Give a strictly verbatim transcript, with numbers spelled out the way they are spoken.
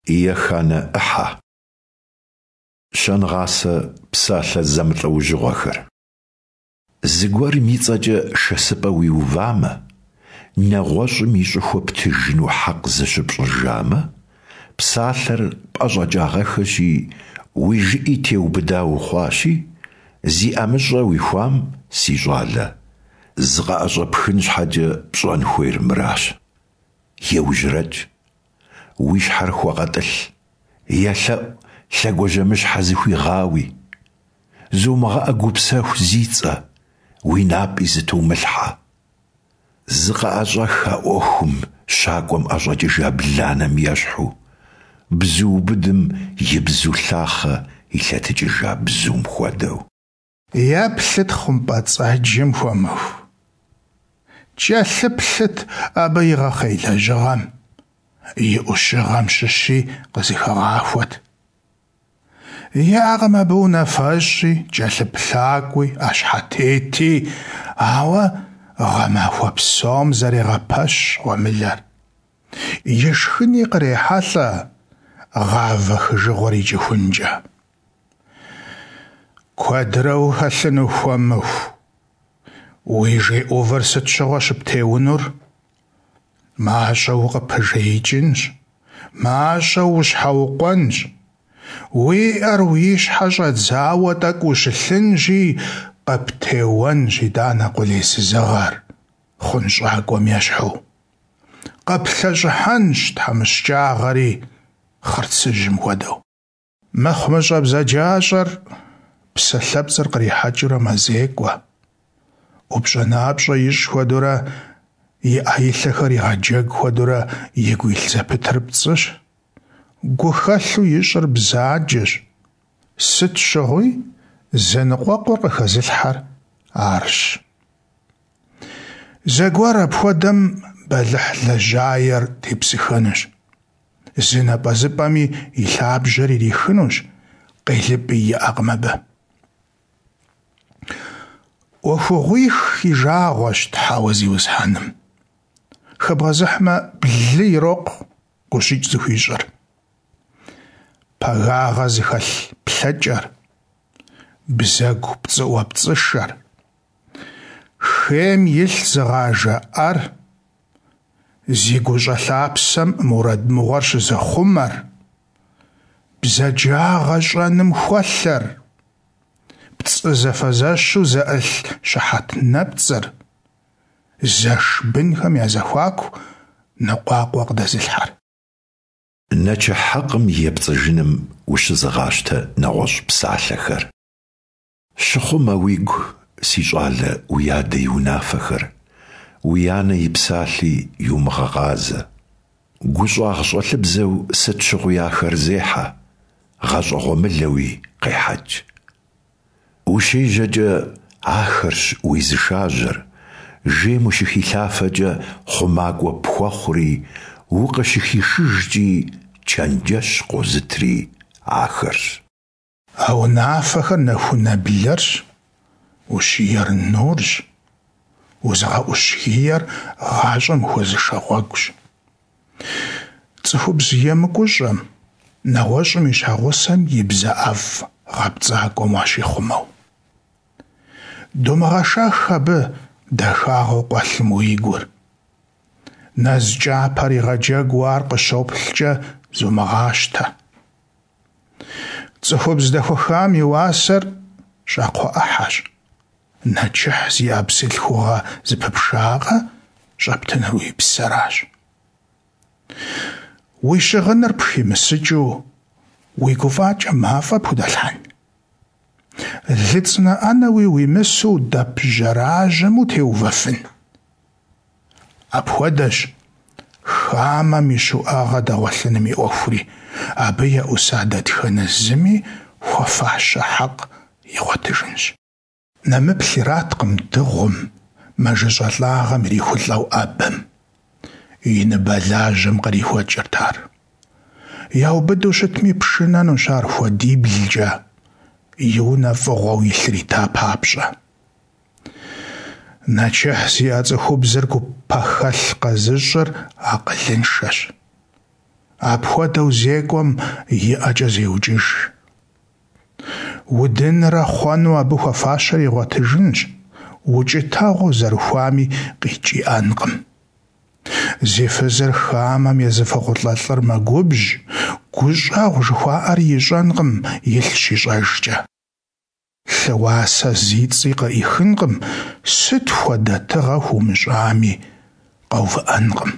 Еханэ ӏыхьэ. Щэнгъасэ псалъэ зэмылӏэужьыгъуэхэр. Зыгуэрым и цӀэкӀэ шэсыпӀэ уиувамэ, нэгъуэщӀым и щӀыхуэ птыжыну хьэкъ зыщыпщӀыжамэ, псалъэр пӀэщӀэкӀагъэххэщи, уи жыӀи теубыда ухъуащи, зи ӀэмыщӀэ уихуам, си щӀалэ, зыкъыӀэщӀэпхын щхьэкӀэ пщӀэн хуейр мыращ: еужьэрэкӀ, уи щхьэр хуэгъэтӀылъ, елъэӀу лъэгуажьэмыщхьэ зыхуигъауи, зумыгъэӀэ гупсэху зи цӀэ, уи напӀи зэтумылъхьэ. ЗыкъыӀэщӀэх а Ӏуэхум щакӀуэм ӀэщӀэкӀыжа бланэм ещхьу, бзуубыдым и бзу лъахъэ илъэтыкӀыжа бзум хуэдэу. Еплъыт хъумпӀэцӀэджым, хуэмыху. КӀэлъыплъыт абы игъэхъей лэжьыгъэм, и Ӏущыгъэм щыщи къызыхэгъахуэт. ИӀэкъым абы унафэщӀи, кӀэлъыплъакӀуи, Ӏэщхьэтети, ауэ гъэмахуэ псом зэрегъэпэщ гъуэмылэр. Ишхыни кърехьэлӀэ гъавэ хыжыгъуэр икӀыхункӀэ. Куэдрэ ухэлъыну, хуэмыху? Уи жей Ӏувыр сыт щыгъуэ щыптеунур? МащӀэу укъыпыжеикӀынщ, мащӀэу ущхьэукъуэнщ, уи Ӏэр уи щхьэ щӀэдзауэ тӀэкӀу ущылъынщи, къыптеуэнщ итӀанэ къулейсызыгъэр, хъунщӀакӀуэм ещхьу. КъыплъэщӀыхьэнщ тхьэмыщкӀагъэри, хъырцыжьым хуэдэу. МыхъумыщӀэ бзаджащӀэр псалъэпцӀыр кърихьэкӀыурэ мэзекӀуэ. ӀупщӀэ-напщӀэ ищӀ хуэдэурэ, и Ӏэ-и лъэхэр игъэджэгу хуэдэурэ игу илъ зэпытыр пцӀыщ. Гухэлъу ищӀыр бзаджэщ. Сыт щыгъуи зэныкъуэкъур къыхэзылъхьэр арщ. Зэгуэр апхуэдэм бэлыхь лэжьаер тепсыхэнущ. Зы напӀэзыпӀэми и лъабжьэр ирихынущ, къелыпӀи иӀэкъым абы. Ӏуэхугъуих и жагъуэщ Тхьэуэ Зиусхьэным. Хэбгъэзыхьмэ, блы ирокъу гущыкӀ зыхуищӀыр. Пагагъэ зыхэлъ плъэкӀэр, бзэгу пцӀыӀуэпцӀышэр, хейм илъ зыгъажэ Ӏэр, зи гущӀэ лъапсэм мурад мыгъуэр щызыхъумэр, бзаджагъэ щӀэным хуэлъэр, пцӀы зэфэзэщу зэӀылъ щыхьэт нэпцӀыр, зэш бынхэм я зэхуаку ныкъуакъуэ къыдэзылъхьэр. Нэчыхь хьэкъым епцӀыжыным ущызыгъащтэ нэгъуэщӀ псалъэхэр. Щыхъумэ уигу, си щӀалэ, уи адэ и унафэхэр, уи анэ и псалъи йумыгъэгъазэ. ГущӀагъщӀэлъыбзэу сыт щыгъуи ахэр зехьэ, гъащӀэгъуэмылэуи къехьэкӀ. УщежьэкӀэ ахэрщ уезышажьэр, жейм ущыхилъафэкӀэ хъумакӀуэ пхуэхъури, укъыщыхишыжкӀи чэнджэщ къозытри ахэрщ. А унафэхэр нэхунэ блэрщ, ущиер нурщ, узыгъэӀущ гиер гъащӀэм ухуэзышэ гъуэгущ. ЦӀыхубз емыкӀущӀэм, нэгъуэщӀым и щхьэгъусэм и бзэ ӀэфӀ гъэпцӀакӀуэм уащихъумэу. Думыгъэшэх абы дахагъэу къуэлъым уи гур. Нэз кӀапэр игъэджэгуу ар къыщоплъкӀэ зумыгъащтэ. ЦӀыхубз дэхуэхам и уасэр щӀакхъуэ Ӏыхьэщ. Нэчыхь зиӀэ бзылъхугъэ зэпыпшакъэ щӀэптынур уи псэращ. Уи щыгъыныр пхимысыкӀыу уи гуфӀакӀэ мафӀэ пхудэлъхьэн? ЛыцӀынэ Ӏэнэуи уимысу дэп жьэражьэм утеувэфын? Апхуэдэщ хамэм и щуӀэгъэ дэгъуэлъыным и Ӏуэхури, абы еӀуса дэтхэнэ зыми хуэфащэ хьэкъ игъуэтыжынщ. Нэмыплъ ираткъым дыгъум, мэжэщӀалӀагъэм ирихулӀэу Ӏэбэм. И ныбэлажьэм кърихуэкӀырт ар. Яубыду щытми, пшынэнущ ар хуэдиблкӀэ, и унэ фӀыгъуэу илъыр ита папщӀэ. Нэчыхь зиӀэ цӀыхубзыр гупэхэлъ къэзыщӀыр акъылыншэщ. Апхуэдэу зекӀуэм и ӀэкӀэ зеукӀыж. Удынрэ хъуэну абы хуэфащэр игъуэтыжынщ, укӀытэгъуэ зэрыхуами къикӀ иӀэнкъым. Зи фызыр хамэм езыфыгъулӀэ лӀыр мэгубжь, гущӀэгъу жыхуаӀэри ищӀэнкъым илъ щищӀэжкӀэ. Лъы уасэ зи цӀи къыӀихынкъым, сыт хуэдэ тыгъэ хуумыщӀами, къэувыӀэнкъым.